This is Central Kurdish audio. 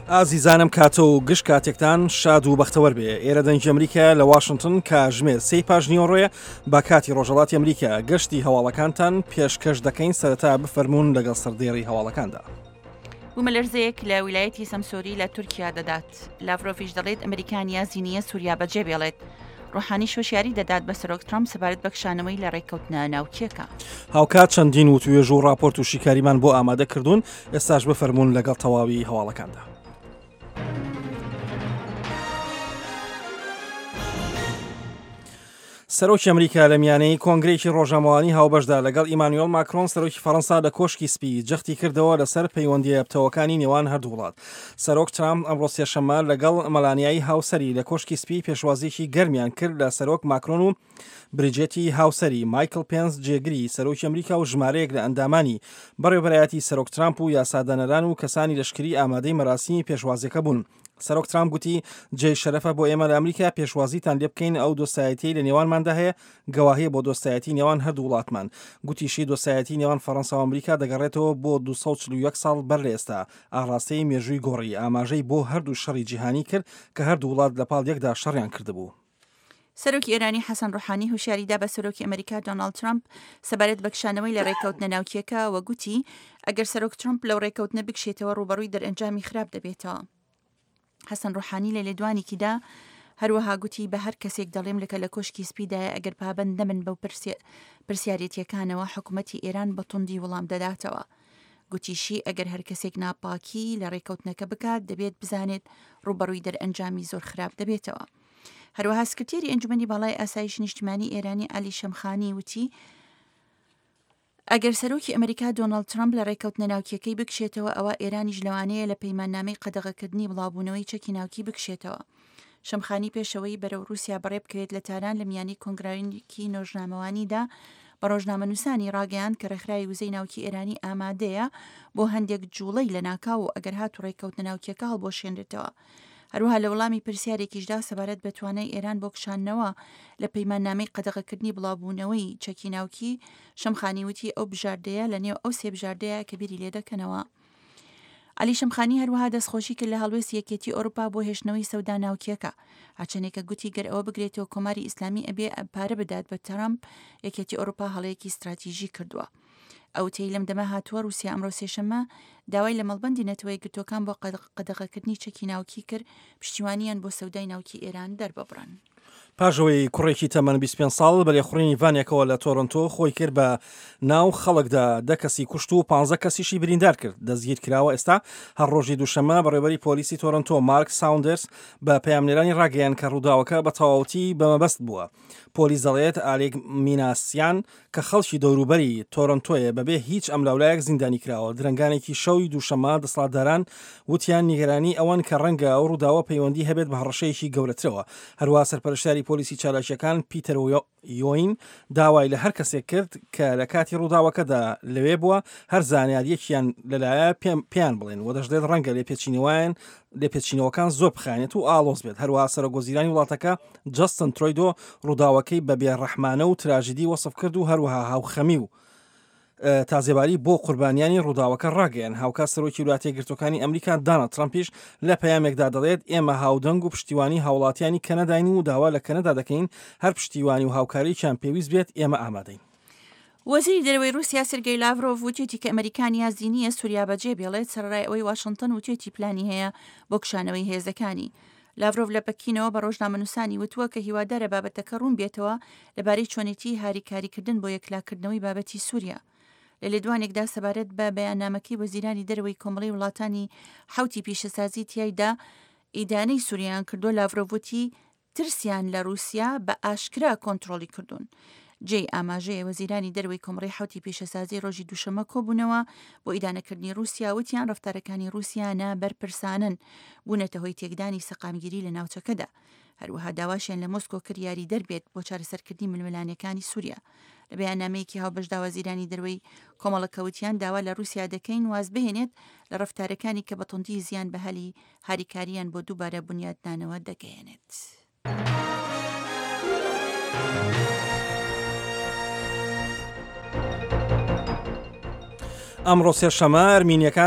ئازیزانم کاتە و گشت کاتێکتان شاد و بەختەوەر بێ ئێرە دەنگی ئەمریکا لە واشنگتن کاژمێر سێی پاش نیوەڕۆیە بە کاتی ڕۆژەڵاتی ئەمریکا گەشتی هەواڵەکانتان پێشکەش دەکەین سەرەتا بفەرمونون لەگەڵ سەردێڕی هەواڵەکاندا. بوومەلەرزەیەک لە ویلایەتی سەمسۆری لە تورکیا دەدات. لاڤرۆڤیش دەڵێت ئەمریکا نیازی نییە سووریا بەجێ بێڵێت. ڕۆحانیش هۆشیاری دەدات بە سەرۆک ترەمپ سەبارەت بە کشانەوەی لە ڕێککەوتنە ناوکییەکە. هاوکات چەندین وتوێژ و ڕاپۆرت و شیکاریمان بۆ ئامادە کردوون، ئێستاش بفەرموون لەگەڵ تەواوی هەواڵەکاندا. سەرۆکی ئەمریکا لە میانەی کۆنگرەیەکی ڕۆژنامەوانی هاوبەشدا لەگەڵ ئیمانوێڵ ماکرۆن سەرۆکی فەڕەنسا لە کۆشکی سپی جەختی کردەوە لەسەر پەیوەندییە پتەوەکانی نێوان هەردوو وڵات. سەرۆک ترامپ ئەمڕۆ سێشەممە لەگەڵ مەلانیای هاوسەری لە کۆشکی سپی پێشوازییەکی گەرمیان کرد لە سەرۆک ماکرۆن و بریجێتی هاوسەری، مایکڵ پێنس جێگری سەرۆکی ئەمریکا و ژمارەیەک لە ئەندامانی بەڕێوەبەرایەتی سەرۆک ترامپ و یاسادانەران و کەسانی لەشکری ئامادەی مەراسیمی پێشوازییەکە بوون. سەرۆک ترامپ گوتی، جێی شەرەفە بۆ ئێمە لە ئەمریکا پێشوازیتان لێ بکەین، ئەو دۆستایەتیەی لە نێوانماندا هەیە گەواهیە بۆ دۆستایەتی نێوان هەردوو وڵاتمان. گوتیشی، دۆستایەتی نێوان فەڕەنسا و ئەمریکا دەگەڕێتەوە بۆ 241 ساڵ بەر لە ئێستا، ئاڕاستەی مێژووی گۆڕی، ئاماژەی بۆ هەردوو شەڕی جیهانی کرد کە هەردوو وڵات لەپاڵ یەکدا شەڕیان کردبوو. سەرۆکی ئێرانی حەسەن ڕۆحانی هۆشیاری دا بە سەرۆکی ئەمریکا دۆناڵد ترەمپ سەبارەت بە کشانەوەی لە ڕێککەوتنە ناوکییەکە و گوتی ئەگەر سەرۆک ترەمپ لەو ڕێککەوتنە بکشێتەوە ڕووبەڕووی دەرئەنجامی خراپ دەبێتەوە. حەسەن ڕۆحانی لە لێدوانێکیدا هەروەها گوتی بە هەر کەسێک دەڵێم لەکە لە کۆشکی سپیدایە ئەگەر پابەند نەبن بەو پرسیارێتیەکانەوە حکوومەتی ئێران بە توندی وڵام دەداتەوە. گوتیشی ئەگەر هەر کەسێک ناپاکی لە ڕێککەوتنەکە بکات دەبێت بزانێت ڕووبەڕووی دەرئەنجامی زۆر خراپ دەبێتەوە. هەروەها سکرتێری ئەنجومەنی باڵای ئاسایشی نیشتیمانی ئێرانی عەلی شەمخانی وتی، ئەگەر سەرۆکی ئەمریکا دۆناڵد ترەمپ لە ڕێککەوتنە ناوکییەکەی بکشێتەوە ئەوا ئێرانیش لەوانەیە لە پەیماننامەی قەدەغەکردنی بڵاوبوونەوەی چەکی ناوکی بکشێتەوە. شەمخانی پێشەوەی بەرەو رووسیا بەڕێبکەوێت لە تاران لە میانی کۆنگرایەکی نۆژنامەوانیدا بە ڕۆژنامەنووسانی ڕاگەیاند کە ڕێکخراوی وزەی ناوکی ئێرانی ئامادەیە بۆ هەندێک جوڵەی لەناکاو و ئەگەر هاتوو ڕێککەوتنە ناوکییەکە هەڵبوەشێنرێتەوە. هەروەها لە وەڵامی پرسیارێکیشدا سەبارەت بە توانای ئێران بۆ کشاندنەوە لە پەیماننامەی قەدەغەکردنی بڵاوبوونەوەی چەکی ناوکی، شەمخانی وتی ئەو بژاردەیە لە نێو ئەو سێ بژاردەیە کە بیری لێدەکەنەوە. عەلی شەمخانی هەروەها دەستخۆشی کرد لە هەڵوێستی یەکێتی ئەوروپا بۆ هێشتنەوەی سەودا ناوکییەکە. هەرچەندێکە گوتی گەر ئەوە بگرێتەوە کۆماری ئیسلامی ئەبێ پارە بدات بە ترەمپ، یەکێتی ئەوروپا هەڵەیەکی ستراتیژی کردووە. ئەو وتەی لەم دەمە هاتووە، ڕووسیا ئەمڕۆ سێشەممە داوای لە مەڵبەندی نەتەوە یەکگرتووەکان بۆ قەدەغەکردنی چەکی ناوکی کرد، پشتیوانییان بۆ سەودای ناوکی ئێران دەرببڕن. پاش ئەوەی کوڕێکی تەمەن 25 ساڵ بە لێخوڕینی ڤانێکەوە لە تۆرۆنتۆ خۆی کرد بە ناو خەڵکدا دە کەسی کوشت و 15 کەسیشی بریندار کرد دەستگیر کراوە ئێستا هەر ڕۆژی دووشەممە بەڕێوەبەری پۆلیسی تۆرۆنتۆ مارک ساوندەرس بە پەیامنێرانی ڕاگەیاند کە ڕووداوەکە بە تەواوەتی بە مەبەست بووە پۆلیس دەڵێت ئالیک میناسیان کە خەڵکی دەوروبەری تۆرۆنتۆیە بەبێ هیچ ئەملاولایەک زیندانی کراوە. درەنگانێکی شەوی دووشەممە دەسەڵاتداران وتیان نیگەرانی ئەوەن کە ڕەنگە ئەو ڕووداوە پەیوەندی هەبێت بە هەڕەشەیەکی گەورەترەوە. هەروەها سەرپەرشتیاری پۆلیسی چالاکییەکان پیتەر یۆین داوای لە هەر کەسێک کرد کە لە کاتی ڕووداوەکەدا لەوێ بووە هەر زانیارییەکیان لەلایە پێیان بڵێن و دەشڵێت ڕەنگە لێپێچینەوەیان لێپێچینەوەکان زۆر بخایەنێت و ئاڵۆز بێت. هەروەها سەرۆکوەزیرانی وڵاتەکە جەستن ترۆیدۆ ڕووداوەکەی بە بێڕەحمانە و تراژیدی وەسف کرد و هەروەها هاوخەمی و تازێباری بۆ قوربانیانی ڕووداوەکە ڕاگەیان. هاوکات سەرۆکی ویلایەتە یەکگرتووەکانی ئەمریکا داناڵد ترەمپیش لە پەیامێکدا دەڵێت، ئێمە هاودەنگ و پشتیوانی هاوڵاتیانی کەنەداین و داوا لە کەنەدا دەکەین هەر پشتیوانی و هاوکارییەکیان پێویست بێت ئێمە ئامادەین. وەزیری دەرەوەی ڕووسیا سێرگەی لاڤرۆڤ وتیەتی کە ئەمەریکا نیازی نییە سوریا بەجێ بێڵێت، سەرەڕای ئەوەی واشنتن وتیەتی پلانی هەیە بۆ کشانەوەی هێزەکانی. لاڤرۆڤ لە پەکینەوە بە ڕۆژنامەنووسانی وتووە کە هیوادارە بابەتەکە ڕوون بێتەوە لەبارەی چۆنێتیی هاریکاریکردن بۆ یەکلاکردنەوەی بابەتی سوریا. لە لێدوانێکدا سەبارەت بە بەیاننامەکەی وەزیرانی دەرەوەی کۆمەڵەی وڵاتانی حەوتی پیشەسازی تیایدا ئیدانەی سوریایان کردووە، لاڤرۆڤ وتی، ترسیان لە رووسیا بە ئاشکرا کۆنترۆڵی کردوون. جێی ئاماژەیە وەزیرانی دەرەوەی کۆمەڵەی حەوتی پیشەسازی رۆژی دووشەممە کۆبوونەوە بۆ ئیدانەکردنی رووسیا وتیان رەفتارەکانی رووسیا نا بەرپرسانەن بوونەتە هۆی تێکدانی سەقامگیری لە ناوچەکەدا. هەروەها داواشیان لە مۆسکۆ کرد یاریدەر بێت بۆ چارەسەرکردنی ململانێکانی سووریا. لە بەیاننامەیەکی هاوبەشدا وەزیرانی دەرەوەی کۆمەڵەکە وتیان داوا لە رووسیا دەکەین وازبهێنێت لە رەفتارەکانی کە بە توندی زیان بە هەلی هاریکارییان بۆ دووبارە بونیادنانەوە دەگەیەنێت. ئەمڕۆ سێشەمە ئەرمینیەکان.